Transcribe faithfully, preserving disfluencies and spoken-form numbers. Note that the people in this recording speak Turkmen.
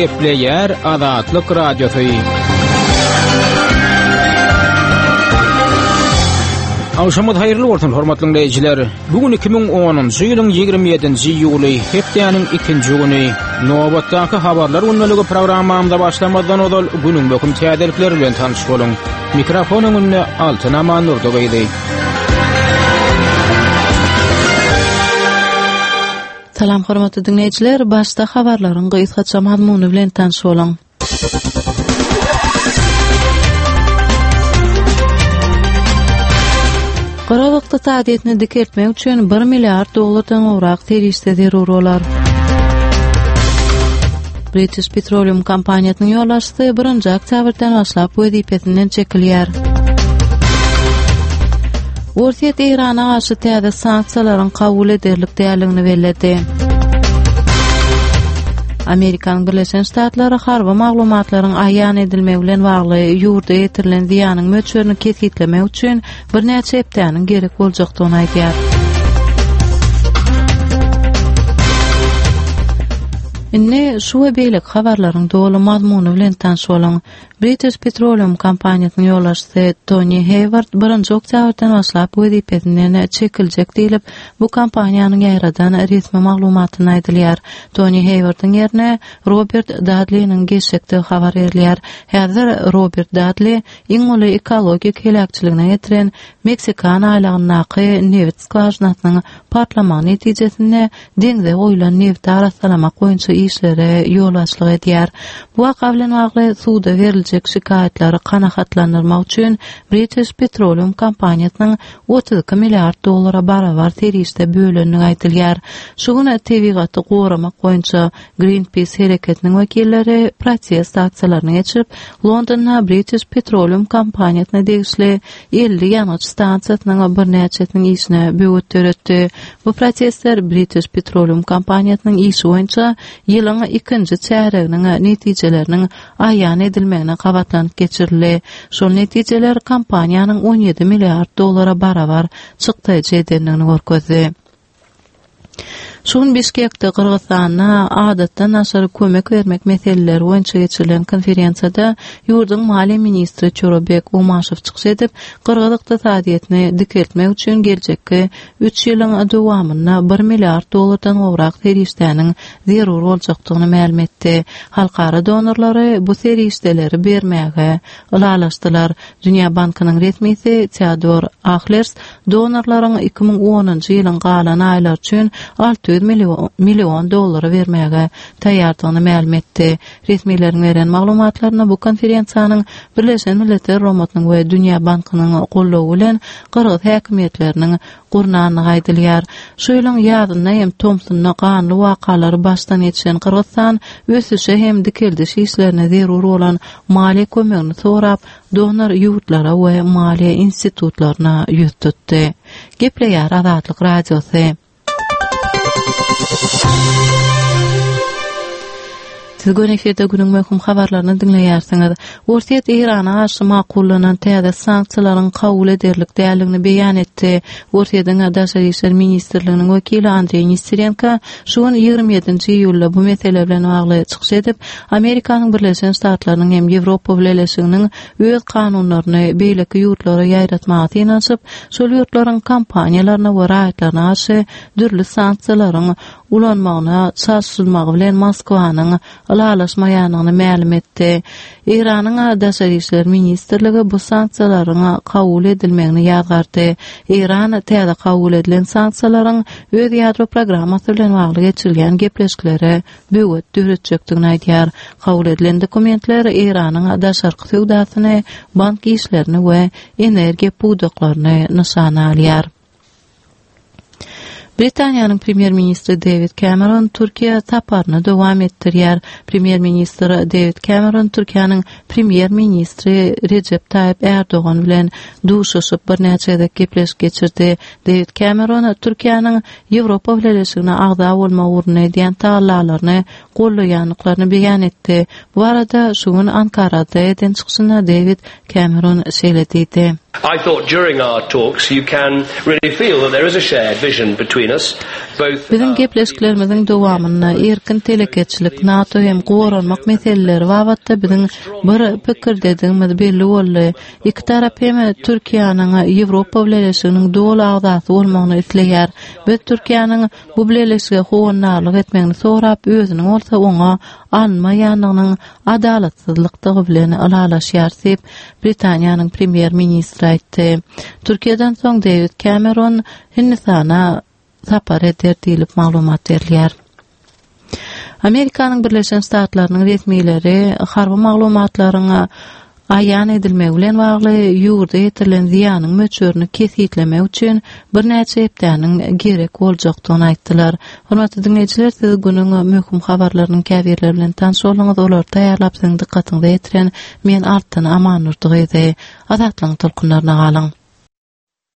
Gepleýär Azatlyk Radiosy. Agşamyňyz haýyrly bolsun, hormatly dinleýjiler. Bu gün iki müň onunjy ýylyň ýigrimi ýedinji iýuly, hepdäniň ikinji güni. Nobatdaky habarlar gündeligi programmamyza başlamazdan ozal günüň möhüm täzelikleri bilen tanyş boluň. Mikrofon öňünde Altyn Amannurdy gyzy. Salam hormatly dinleýjiler, başda habarlaryň gysgaça mazmuny bilen tanyş boluň. Gyrgyz ykdysadyýetini dikeltmek üçin bir milliard dollardan gowrak serişde zerur bolar. British Petroleum kompaniýasynyň ýolbaşçysy birinji oktýabrdan başlap wezipesinden çekilýär. Orsýet Eýrana garşy täze sanksiýalaryň kabul ederlik däldigini belledi. Amerikanyň Birleşen Ştatlary harby maglumatlaryň aýan edilmegi bilen bagly ýurda ýetirilen zyýanyň möçberini kesgitlemek üçin birnäçe hepdäniň gerek boljakdygyny aýdýar. Indi şu we beýleki habarlaryň doly mazmuny bilen tanyş boluň. British Petroleum kompaniýasynyň ýolbaşçysy Toni Heýward birinji oktýabrdan başlap wezipesinden çekiljek diýlip, bu kompaniýanyň ýaýradan resmi maglumatynda aýdylýar. Toni Heýwardyň ýerine Robert Dadliniň geçjekdigi habar berilýär. Häzir Robert Dadli iň uly ekologik heläkçiligine getiren Meksikan aýlagyndaky nebit skwažinasynyň partlamagy netijesinde deňze goýlan nebiti arassalamak boýunça işlere ýolbaşçylyk edýär. Bu waka bilen bagly suda beriljek şikaýatlary kanagatlandyrmak üçin British Petroleum kompaniýasynyň otuz iki milliard dollara barabar serişde bölendigi aýdylýar. Şu gün tebigaty goramak boýunça Greenpeace hereketiniň wekilleri protest aksiýalaryny geçirip, Londonda British Petroleum kompaniýasyna degişli elli ýangyç stansiýasynyň birnäçesiniň işine böwet döretdi. Bu protestler British Petroleum kompaniýasynyň işi boýunça ýylyň ikinji çärýeginiň netijeleriniň aýan edilmegine gabatlanyp geçirildi. Şol netijeler kompaniýanyň on ýedi milliard dollara barabar çykdaýjy edendigini görkezdi. Şu gün Bişkekde Gyrgyzystanda adatdan daşary kömek bermek meseleleri boýunça geçirilen konferensiýada ýurduň maliýe ministri Çorobek Umaşow çykyş edip, gyrgyz ykdysadyýetini dikeltmek üçin geljekki üç ýylyň dowamynda bir milliard dollardan gowrak serişdäniň zerur boljakdygyny mälim etdi. Halkara donorlary bu serişdeleri bermäge ylalaşdylar. Dünýä Bankynyň resmisi Teodor Ahlers donorlaryň iki müň onunjy ýylyň galan aýlary üçin alty ýüz million dollary bermäge taýýardygyny mälim etdi. Resmileriň beren maglumatlaryna bu konferensiýanyň Birleşen Milletler Guramasynyň we Dünýä Bankynyň goldawy bilen gyrgyz häkimiýetleriniň gurnandygy aýdylýar. Şu ýylyň ýazynda hem tomsunda ganly wakalary başdan geçiren Gyrgyzystan ösüşe hem dikeldiş işlerine zerur bolan maliýe kömegini sorap, donor ýurtlara we maliýe institutlaryna ýüz tutdy. Gepleýär Azatlyk Radiosy. Siz göni efirde günüň möhüm habarlaryny diňleýärsiňiz. Orsýet Eýrana garşy makullanan täze sanksiýalaryň kabul ederlik däldigini beýan etdi. Orsýetiň Daşary işler ministrliginiň wekili Andreý Nesterenko şu gün ýigrimi ýedinji iýulda bu mesele bilen bagly çykyş edip, Amerikanyň Birleşen Ştatlarynyň hem Ýewropa Bileleşiginiň öz kanunlaryny beýleki ýurtlara ýaýratmaga synanyşyp, şol ýurtlaryň kompaniýalaryna we raýatlaryna garşy dürli sanksiýalaryň ulanmagyna çalşylmagy bilen Moskwanyň ylalaşmaýandygyny mälim etdi. Eýranyň Daşary işler ministrligi bu sanksiýalaryň kabul edilmegini ýazgardy. Eýran täze kabul edilen sanksiýalaryň öz ýadro programmasy bilen bagly geçirilýän gepleşiklere böwet döretjekdigini aýdýar. Kabul edilen dokumentler Eýranyň daşarky söwdasyny, bank işlerini we energiýa pudaklaryny nyşana alýar. Britaniýanyň premýer-ministri Dewid Cameron Türkiýe saparyny dowam etdirýär. Premýer-ministr Dewid Cameron Türkiýäniň premýer-ministri Rejep Taýyp Erdogan bilen duşuşyp birnäçe gezek gepleşik geçirdi. Dewid Cameron Türkiýäniň Ýewropa Bileleşigine agza bolmak ugrunda edýän tagallalaryny goldaýandyklaryny beýan etdi. Bu barada şu gün Ankarada eden çykyşynda Dewid Cameron şeýle diýdi. I thought during our talks you can really feel that there is a shared vision between us, both Biziň gepleşiklerimiziň dowamynda erkin telekeçilik, NATO hem goranmak meseleleri babatda biziň bir pikirdedigimiz belli boldy. Iki tarap hem Türkiýäniň Ýewropa Bileleşiginiň doly agzasy bolmagyny isleýär. Biz Türkiýäniň bu bileleşige howandarlyk etmegini sorap, özüniň bolsa oňa alynmaýanlygynyň adalatsyzlykdygy bilen ylalaşýar diýip, Britaniýanyň premýer-ministri aýtdy. Türkiýeden soň David Cameron Hindistana sapar eder diýlip maglumat berilýär. Amerikanyň Birleşen Ştatlarynyň resmileri harby maglumatlaryň aýan edilmegi bilen bagly ýurda ýetirilen zyýanyň möçberini kesgitlemek üçin birnäçe hepdäniň gerek boljakdygyny aýtdylar. Hormatly diňleýjiler, siz günüň möhüm habarlarynyň käbirleri bilen tanyş bolduňyz. Olary taýýarlap siziň dykgatyňyza ýetiren men Altyn Amannurdy gyzy. Azatlygyň tolkunlaryna galyň.